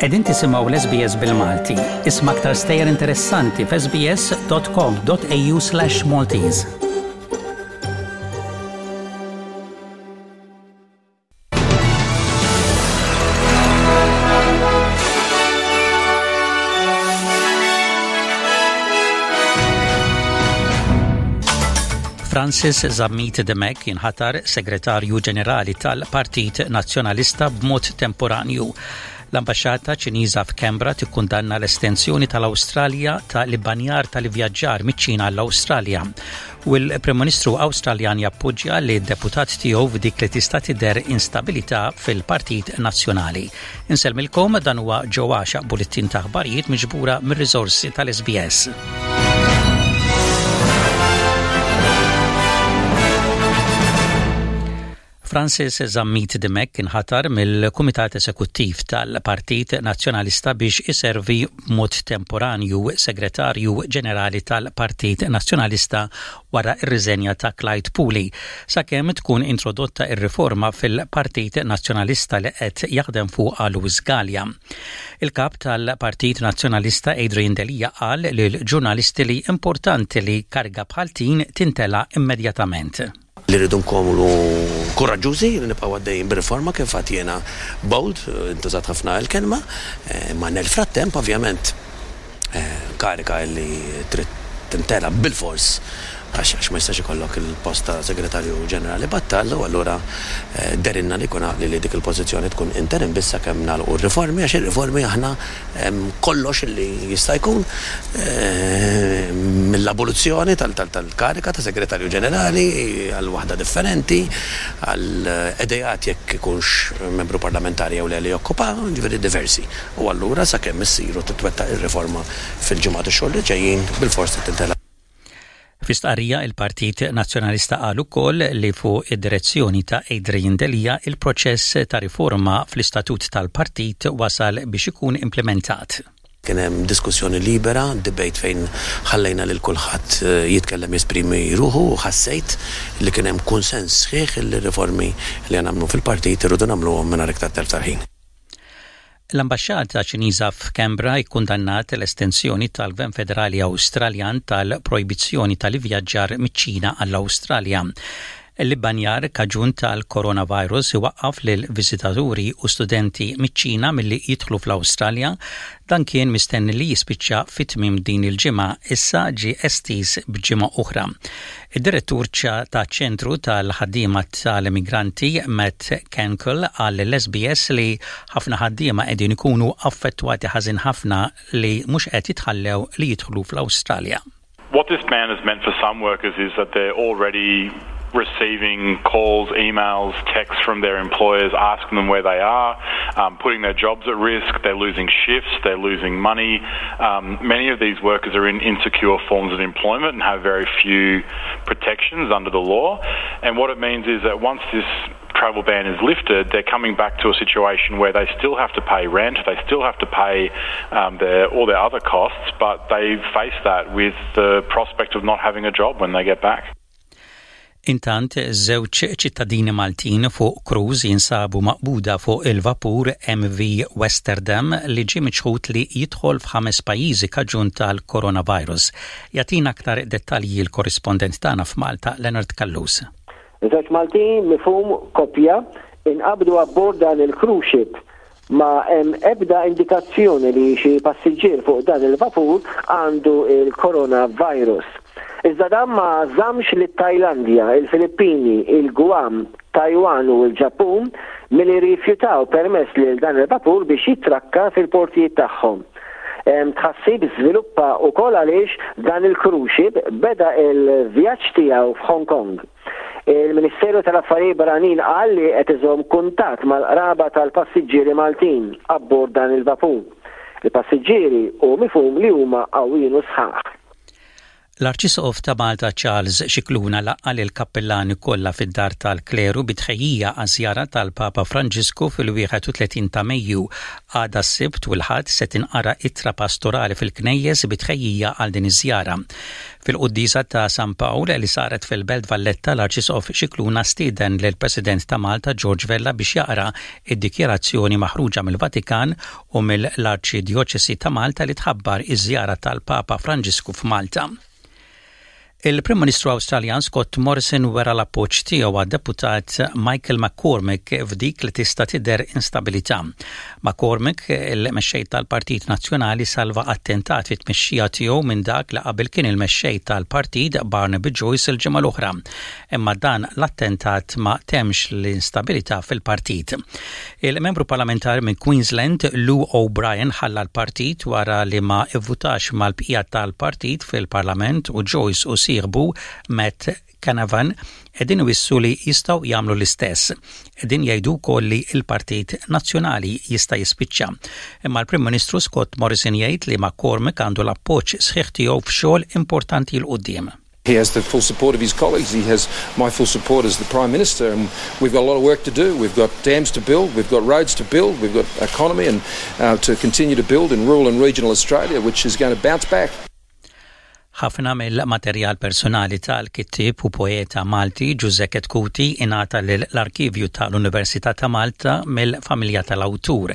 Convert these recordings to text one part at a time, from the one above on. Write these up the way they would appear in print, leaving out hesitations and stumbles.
Qegħdin tisimgħu l-SBS bil-Malti. Isma' aktar stejjer interessanti f'sbs.com.au/Maltese. Francis Zammit Dimech jinħatar Segretarju Ġenerali tal-Partit Nazzjonalista b'mod temporanju. L-Ambaxxata Ċiniża f'Canberra tikkundanna l-estensjoni tal-Awstralja ta' l-ibbanjar tal-ivvjaġġar miċ-Ċina għall-Awstralja u l-Prim Ministru Awstraljan jappoġġja li deputat tiegħu f'dik li tista' tidher instabilità fil-Partit Nazzjonali. Insellmilkom dan huwa Joe Għaxaq bullettin ta' aħbarijiet miġbura mir-riżorsi tal-SBS. Francis Zammit Dimech inħatar mill-Kumitat Esekuttiv tal-Partit Nazzjonalista biex iservi b'mod temporanju Segretarju Ġenerali tal-Partit Nazzjonalista wara r-riżenja ta' Clyde Puli, sakemm tkun introdotta r-riforma fil-Partit Nazzjonalista li qed jaħdem fuqha Louis Galea. Il-Kap tal-Partit Nazzjonalista Adrian Delia qal lill-ġurnalisti li importanti li kariga bħal din tintela' immedjatament. Li rridu nkunu kuraġġużi li nibqgħu għaddejjin bir-riforma kif għedt jiena bold, intużat ħafna l-kelma, imma nel frattemp ovvjament karika li trid timtela bilfors għax ma jistax ikollok il-post ta' Segretarju Ġenerali battal u allura dehrilna li jkun għaqli li dik il-pożizzjoni tkun interim biss sakemm nagħlqu r-riformi għax ir-riformi aħna kollox li jista' jkun mill-abolizzjoni tal-kariga ta' Segretarju Ġenerali għal waħda differenti, għal ideat jekk ikunx membru parlamentari jew le li jokkupa, jiġifieri diversi. U allura sakemm issir u titwettaq ir-riforma fil-ġimgħat u x-xhur li ġejjin, bilfors trid tintelaq. Fi stqarrija il-Partit Nazzjonalista qal ukoll li fuq id-direzzjoni ta' Adrian Delia il-proċess ta' riforma fl-istatut tal-partit wasal biex ikun implimentat. Kien hemm diskussjoni libera, debate fejn ħallejna lil kulħadd jitkellem jesprimi ruħu u ħassejt li kien hemm kunsens sħiħ li r-riformi li nagħmlu fil-partit irridu nagħmluhom mingħajr iktar telf tal-ħin. L-Ambaxxata Ċiniża f'Canberra kkundannat l-estensjoni tal-Gvern Federali Awstraljan tal-projbizzjoni tal-ivvjaġġar miċ-Ċina għall-Awstralja. L-ibbanjar kaġun tal-coronavirus iwaqqaf lil viżitaturi u studenti miċ-Ċina milli jidħlu fl-Awstralja. Dan kien mistenni li jispiċċa fi tmiem din il-ġimgħa, issa ġie estiż b'ġimgħa oħra. Id-direttur taċ-Ċentru tal-Ħaddiema tal-Immigranti Matt Kenkel qal lill-SBS li ħafna ħaddiema qegħdin ikunu affettwati ħażin ħafna li mhux qed jitħallew li jidħlu fl-Awstralja. What this ban has meant for some workers is that they're already receiving calls, emails, texts from their employers asking them where they are, um, putting their jobs at risk, they're losing shifts, they're losing money. Um, many of these workers are in insecure forms of employment and have very few protections under the law. And what it means is that once this travel ban is lifted, they're coming back to a situation where they still have to pay rent, they still have to pay um, their, all their other costs, but they face that with the prospect of not having a job when they get back. Intant, żewġ ċittadini Maltin fuq cruise jinsabu maqbuda fuq il-vapur MV Westerdam li ġie miċħud li jidħol f'ħames pajjiżi kaġun tal-coronavirus. Jagħtina aktar dettalji l-korrispondent tagħna f'Malta, Leonard Callus. Żewġ Maltin mifhum koppja inqabdu abbord dan il-cruise ship Ma hemm ebda indikazzjoni li xi passiġġier fuq dan il-vapur għandu l-coronavirus. Iżda dan ma żammx lit-Tajlandja, il-Filippini, il-Guam, Taiwan u l-Ġappun milli rrifjutaw permess lil dan il-vapur biex jitrakka fil-portijiet tagħhom. Tħassib żviluppa wkoll għaliex dan il-cruise ship beda l-vjaġġ tiegħu f'Hong Kong. Il-Ministeru tal-Affarijiet Barranin qal li qed iżomm kuntatt mal-qraba tal-passiġġieri Maltin abbord dan il-vapur. Il-passiġġieri hu mifhum li huma qawwijin u sħaħ. L-Arċisqof ta' Malta Charles Scicluna laqqa' lill-kappillani kollha fid-Dar tal-Kleru bi tħejjija għaż-żjara tal-Papa Franġisku fil-31 ta' Mejju. Għada s-Sibt u l-Ħadd se tinqara ittra pastorali fil-knejjes bi tħejjija għal din iż-żjara. Fil-quddiesa ta' San Pawl li saret fil-Belt Valletta l-Arċisqof Scicluna stieden lill-President ta' Malta George Vella biex jaqra d-dikjarazzjoni maħruġa mill-Vatikan u mill-Arċidjoċesi ta' Malta li tħabbar iż-żjara tal-Papa Franġisku f'Malta. Il-Prim Ministru Awstraljan Scott Morrison wera l-appoġġ tiegħu għad-deputat Michael McCormack f'dik li tista' tidher instabilità. McCormack, il-mexxej tal-Partit Nazzjonali, salva attentat fit-tmexxija tiegħu minn dak li qabel kien il-mexxej tal-partit Barnaby Joyce il-ġimgħa l-oħra. Imma dan l-attentat ma temmx l-instabilità fil-partit. Il-membru parlamentari minn Queensland, Lou O'Brien, ħalla l-partit wara li ma ivvutax mal-bqija tal-partit fil-Parlament u Joyce u sieħbu Matt Canavan qegħdin iwissu li jistgħu jagħmlu l-istess. Qegħdin jgħidu wkoll li l-Partit Nazzjonali jista' jispiċċa. Imma l-Prim Ministru Scott Morrison jgħid li McCormack għandu l-appoġġ sħiħ tiegħu f'xogħol importanti 'l quddiem. He has the full support of his colleagues. He has my full support as the Prime Minister. And we've got a lot of work to do. We've got dams to build. We've got roads to build. We've got economy and uh, to continue to build in rural and regional Australia, which is going to bounce back. Ħafna mill-materjal personali tal-kittieb u poeta Malti Ġużè Chetcuti ingħata lill-Arkivju tal-Università ta' Malta mill-familja tal-awtur.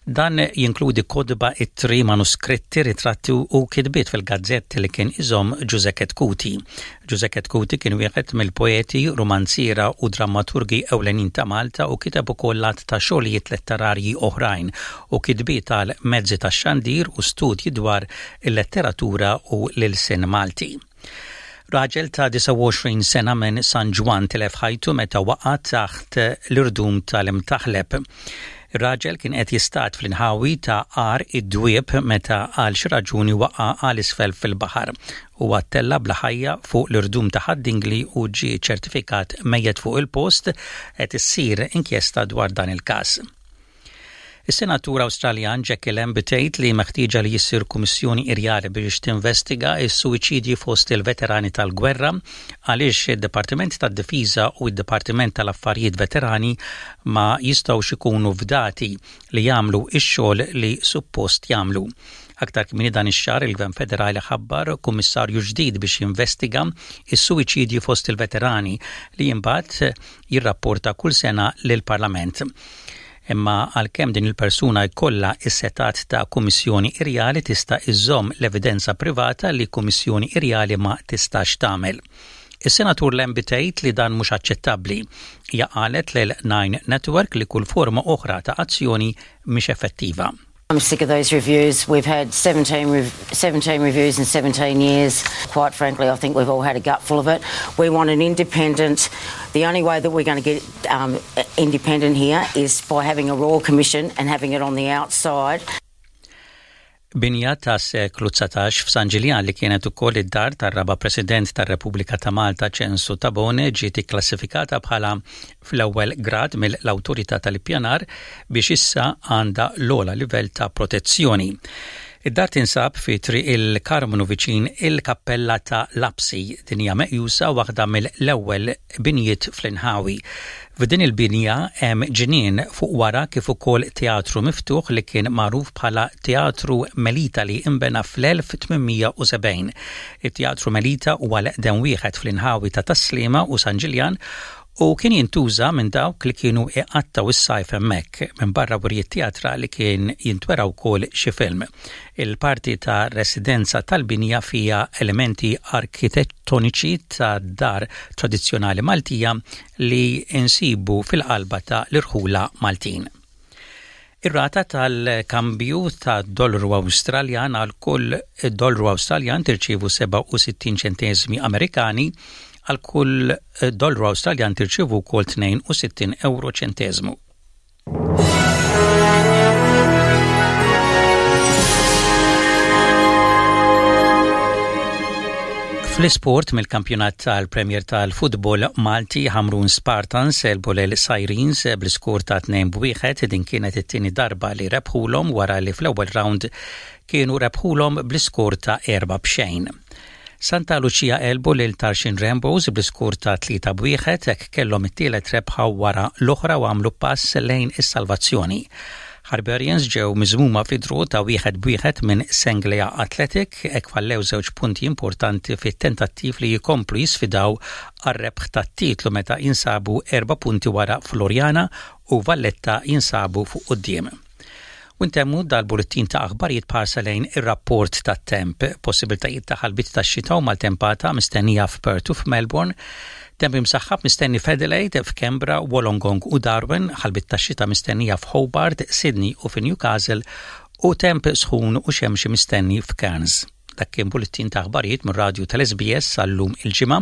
Dan jinkludi kotba, ittri, manuskritti, ritratti u kitbiet fil-gazzetti li kien iżomm Ġużè Chetcuti. Ġużè Chetcuti kien wieħed mill-poeti, rumanziera u drammaturgi ewlenin ta' Malta u kiteb ukoll għadd ta' xogħlijiet letterarji oħrajn u kitbiet għal mezzi tax-xandir u studji dwar il-letteratura u l-ilsien Malti. Raġel ta' 29 sena minn San Ġwann tilef ħajtu meta waqa' taħt l-irdum tal-Imtaħleb. Ir-raġel kien qed jistad fl-inħawi ta' Għar id-Dwieb meta għal xi raġuni waqa' għal isfel fil-baħar. Huwa ttella' bla ħajja fuq l-irdum ta' Ħad-Dingli u ġie ċertifikat mejjet fuq il-post. Qed issir inkjesta dwar dan il-każ. Is-Senatur Awstraljan Jackie Lambie tgħid li meħtieġa li issir kummissjoni irjali biex tinvestiga s-suwiċidji fost il-veterani tal-gwerra għaliex id-Dipartiment tad-Difiża u d-Dipartiment tal-Affarijiet Veterani ma jistgħux ikunu fdati li jagħmlu x-xogħol li suppost jagħmlu. Aktar kmieni dan ix-xahar il-Gvern Federali ħabbar kummissarju ġdid biex jinvestiga s-suwiċidji fost il-veterani li imbagħad jirrapporta kull sena lill-Parlament. Imma għalkemm din il-persuna jkollha s-setgħat ta' kummissjoni irjali tista' iżżomm l-evidenza privata li kummissjoni irjali ma tistax tagħmel. Is-Senatur Lambie tgħid li dan mhux aċċettabbli. Hija qalet lil Nine Network li kull forma oħra ta' azzjoni mhix effettiva. I'm sick of those reviews. We've had 17, 17 reviews in 17 years. Quite frankly, I think we've all had a gutful of it. We want an independent. The only way that we're going to get um, independent here is by having a Royal Commission and having it on the outside. Binja tas-seklu 19 f'San Ġiljan li kienet ukoll id-dar tar-raba' President tar-Repubblika ta' Malta Ċensu Tabone ġiet ikklassifikata bħala fl-ewwel grad mill-Awtorità tal-Ippjanar biex issa għandha l-ogħla livell ta' protezzjoni. Id-dar tinsab fi Triq il-Karmnu viċin il-Kappella ta' Lapsi. Din hija meqjusa waħda mill-ewwel binjiet fl-inħawi. F'din il-binja hemm ġnien fuq wara kif ukoll teatru miftuħ li kien magħruf bħala Teatru Melita li inbena fl-1870. It-Teatru Melita huwa l-eqdem wieħed fl-inħawi ta' Tas-Sliema u San Ġiljan u kien jintuża minn dawk li kienu iqattgħu s-sajf hemmhekk, minbarra wirjiet teatrali kien jintwera wkoll xi film. Il-parti ta' residenza tal-binja fiha elementi arkitettoniċi ta' dar tradizzjonali Maltija li nsibu fil-qalba ta' l-irħula Maltin. Ir-rata tal-kambju tad-dollaru Awstraljan għal kull dollaru Awstraljan tirċievu 67 ċenteżmi Amerikani, għal kull dollaru Awstraljan tirċievu wkoll 62 ewro ċenteżmu. Fl-isport mill-kampjonat tal-Premier tal-Futbol Malti Ħamrun Spartans għelbu lil Sirens bl-iskor ta' 2-1 din kienet it-tieni darba li rebħulhom wara li fl-ewwel round kienu rebħulhom bl-iskor ta' 4 b'xejn. Santa Lucia għelbu lil Tarxien Rainbows bl-iskur ta' 3 b'wieħed hekk kellhom it-tielet rebħa wara l-oħra u għamlu pass lejn is-salvazzjoni. Harbarians ġew miżmuma fi draw ta' wieħed b'wieħed minn Senglea Athletic hekk fallew żewġ punti importanti fit-tentattiv li jkomplu jisfidaw għar-rebħ tat-titlu meta jinsabu erba' punti wara Floriana u Valletta jinsabu fuq quddiem. U ntemmu dal-bullettin ta' aħbarijiet b'ħarsa lejn ir-rapport tat-temp. Possibiltajiet ta' ħalbiet tax-xita u maltempata mistennija f'Perth u f'Melbourne. Temp imsaħħab mistenni f'Adelaide, f'Canberra, Wollongong u Darwin, ħalbiet tax-xita mistennija f'Hobart, Sydney u fi Newcastle u temp sħun u xemxi mistenni f'Cairns. Dak kien bullettin ta' aħbarijiet mir-radju tal-SBS għal-lum il-Ġimgħa,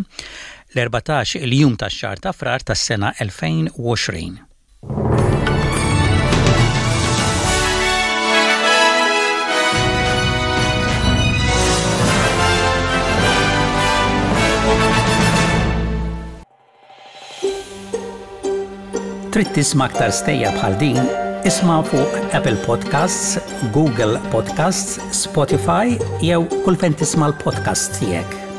l-14 il-jum tax-xahar ta' Frar tas-sena 2020. Trid tisma' aktar stejjer bħal din? Isma' fuq Apple Podcasts, Google Podcasts, Spotify jew kull fejn tisma' l-podcasts tiegħek.